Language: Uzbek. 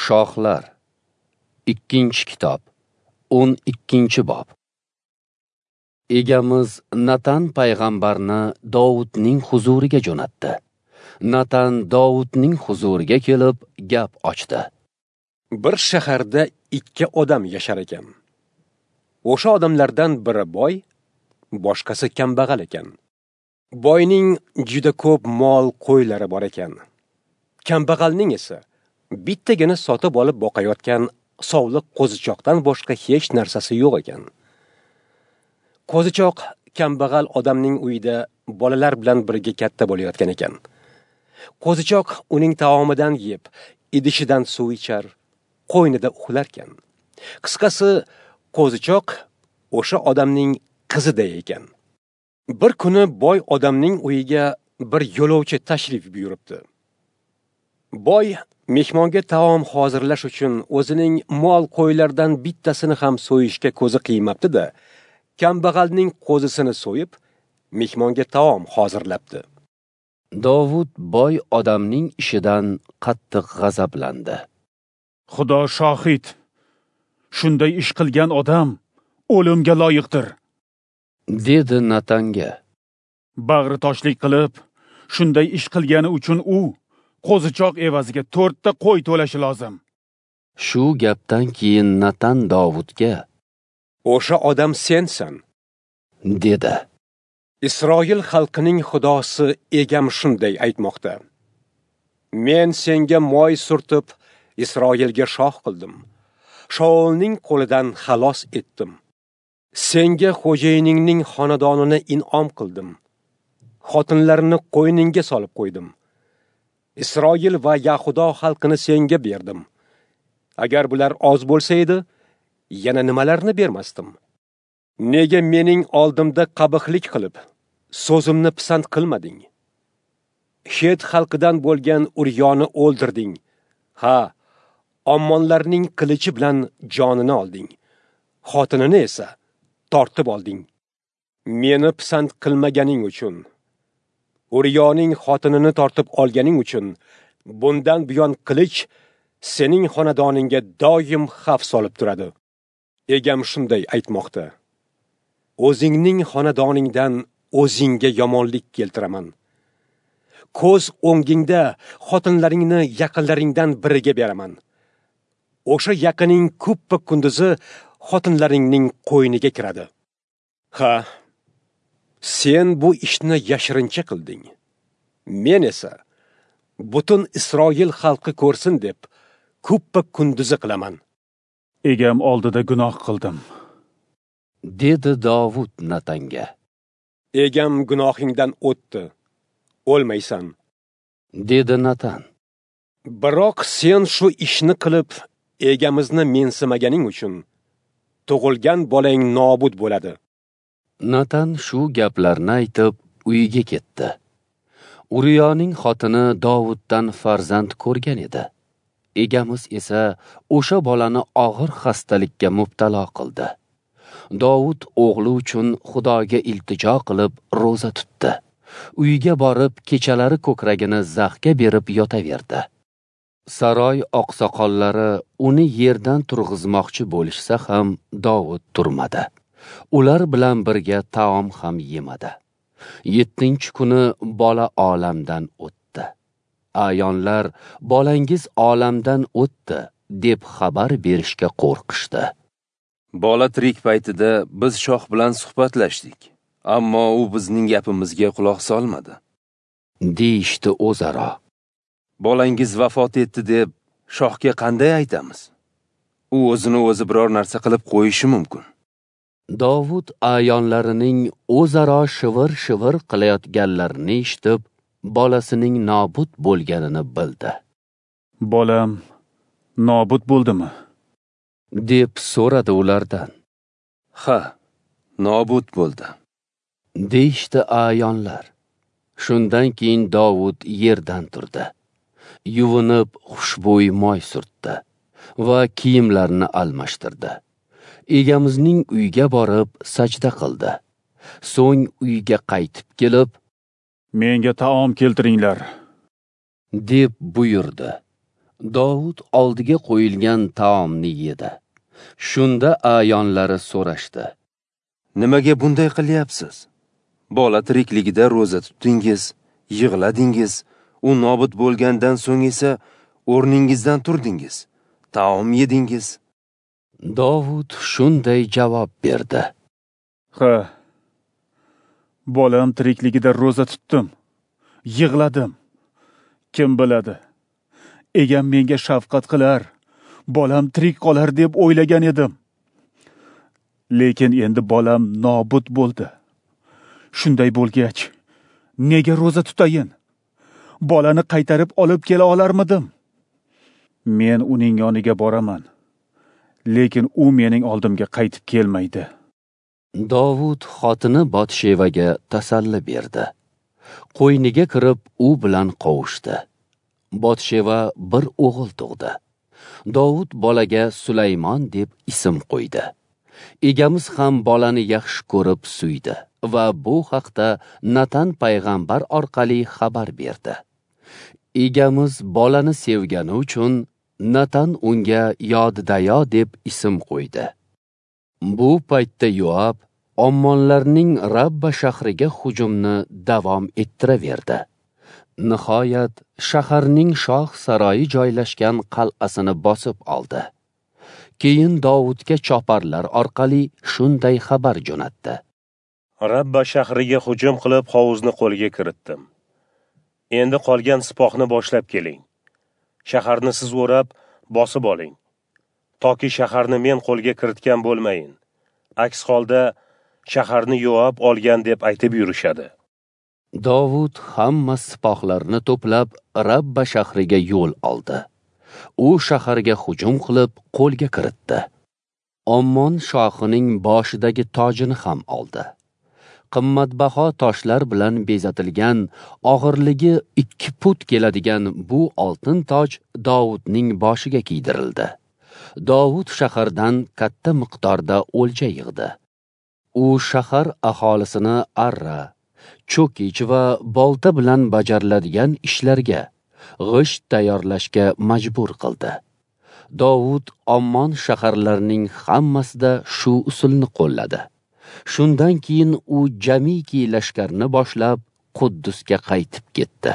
Shohlar, 2-kitob, 12-bob. Egamiz Natan payg'ambarni Dovudning huzuriga jo'natdi. Natan Dovudning huzuriga kelib gap ochdi. Bir shaharda 2 odam yashar ekan. O'sha odamlardan biri boy, boshqasi kambag'al ekan. Boyning juda ko'p mol qo'ylari bor ekan. Kambag'alning esa bittagina sotib olib boqayotgan sovliq qo'zichoqdan boshqa hech narsasi yo'q ekan. Qo'zichoq kambag'al odamning uyida bolalar bilan birga katta bo'layotgan ekan. Qo'zichoq uning taomidan yeb, idishidan suv ichar, qo'ynida uxlarkan. Qisqasi, qo'zichoq o'sha odamning qiziday ekan. Bir kuni boy odamning uyiga bir yo'lovchi tashrif buyuribdi. Boy mehmonga taom hozirlash uchun o'zining mol qo'ylaridan bittasini ham so'yishga ko'zi qiymabdi-da, kambag'alning qo'zisini so'yib, mehmonga taom hozirlabdi. Dovud boy odamning ishidan qattiq g'azablandi. Xudo shohid, shunday ish qilgan odam o'limga loyiqdir, dedi Natanga. Bag'ri toshlik qilib, shunday ish qilgani uchun u qo'zichoq evaziga 4 ta qo'y to'lashi lozim. Shu gapdan keyin Natan Dovudga: "O'sha odam sensan", dedi. Isroil xalqining xudosi egam shunday aytmoqda: Men senga moy surtib, Isroilga shoh qildim. Shaulning qo'lidan xalos etdim. Senga xo'jayiningning xonadonini in'om qildim. Xotinlarini qo'yningga solib qo'ydim. Isroil va Yahudo xalqini senga berdim. Agar bular oz bo'lsa edi, yana nimalarni bermasdim? Nega mening oldimda qabihlik qilib, so'zimni pisand qilmading? Xet xalqidan bo'lgan Uryoni o'ldirding. Ha, Ammonlarning qilichi bilan jonini olding. Xotinini esa tortib olding. Meni pisand qilmaganing uchun, Uryoning xotinini tortib olganing uchun bundan buyon qilich sening xonadoningga doim xavf solib turadi. Egam shunday aytmoqda: O'zingning xonadoningdan o'zingga yomonlik keltiraman. Ko'z o'ngingda xotinlaringni yaqinlaringdan biriga beraman. O'sha yaqining kuppa kunduzi xotinlaringning qo'yniga kiradi. Ha, sen bu ishni yashirincha qilding. Men esa butun Isroil xalqi ko'rsin deb kuppa kunduzi qilaman. Egam oldida gunoh qildim, dedi Dovud Natanga. Egam gunohingdan o'tdi, o'lmaysan, dedi Natan. Biroq sen shu ishni qilib, egamizni mensimaganing uchun tug'ilgan bolang nobud bo'ladi. Natan shu gaplarni aytib uyiga ketdi. Uriyoning xotini Dovuddan farzand ko'rgan edi. Egamiz esa o'sha bolani og'ir xastalikka mubtalo qildi. Dovud o'g'li uchun Xudoga iltijo qilib ro'za tutdi. Uyiga borib kechalari ko'kragini zaxga berib yotaverdi. Saroy oqsoqollari uni yerdan turg'izmoqchi bo'lishsa ham Dovud turmadi. Ular bilan birga taom ham yemadi. 7-kuni bola olamdan o'tdi. Ayonlar bolangiz olamdan o'tdi deb xabar berishga qo'rqishdi. Bola tirik paytida biz shoh bilan suhbatlashdik, ammo u bizning gapimizga quloq solmadi, deyishdi o'zaro. Bolangiz vafot etdi deb shohga qanday aytamiz? U o'zini o'zi biror narsa qilib qo'yishi mumkin. Dovud ayonlarining o'zaro shivir-shivir qilayotganlarini eshitib, bolasining nobud bo'lganini bildi. Bolam nobud bo'ldimi? deb so'radi ulardan. Ha, nobud bo'ldi, deyishdi ayonlar. Shundan keyin Dovud yerdan turdi. Yuvinib xushbo'y moy surtdi va kiyimlarini almashtirdi. Egamizning uyiga borib sajda qildi. So'ng uyga qaytib kelib, "Menga taom keltiringlar", deb buyurdi. Dovud oldiga qo'yilgan taomni yedi. Shunda a'yonlari so'rashdi: Nimaga bunday qilyapsiz? Bola tirikligida ro'za tutdingiz, yig'ladingiz, u nobud bo'lgandan so'ng esa o'rningizdan turdingiz, taom yedingiz. Dovud shunday javob berdi: Ha, bolam tirikligida ro'za tutdim, yig'ladim. Kim biladi, egam menga shafqat qilar, bolam tirik qolar deb o'ylagan edim. Lekin endi bolam nobud bo'ldi. Shunday bo'lgach, nega ro'za tutayin? Bolani qaytarib olib kela olarmidim? Men uning yoniga boraman, lekin u mening oldimga qaytib kelmaydi. Dovud xotini Botshevaga tasalli berdi. Qo'yniga kirib u bilan qovushdi. Botsheva bir o'g'il tug'di. Dovud bolaga Sulaymon deb ism qo'ydi. Egamiz ham bolani yaxshi ko'rib suydi va bu haqda Natan payg'ambar orqali xabar berdi. Egamiz bolani sevgani uchun Natan unga Yodidayo deb ism qo'ydi. Bu paytda Yoab Ommonlarning Rabba shahriga hujumni davom ettiraverdi. Nihoyat shaharning shoh saroyi joylashgan qal'asini bosib oldi. Keyin Dovudga choparlar orqali shunday xabar jo'natdi: Rabba shahriga hujum qilib hovuzni qo'lga kiritdim. Endi qolgan sipohni boshlab keling. Shaharni siz o'rab bosib oling. Toki shaharni men qo'lga kiritgan bo'lmayin. Aks holda shaharni Yoab olgan deb aytib yurishadi. Dovud hamma sipohlarni to'plab Rabba shahriga yo'l oldi. U shaharga hujum qilib qo'lga kiritdi. Ommon shohining boshidagi tojini ham oldi. Qimmatbaho toshlar bilan bezatilgan, og'irligi 2 put keladigan bu oltin toj Dovudning boshiga kiydirildi. Dovud shahardan katta miqdorda o'lja yig'di. U shahar aholisini arra, cho'kich va bolta bilan bajariladigan ishlarga, g'isht tayyorlashga majbur qildi. Dovud Ommon shaharlarining hammasida shu usulni qo'lladi. Shundan keyin u jamiki lashkarni boshlab Quddusga qaytib ketdi.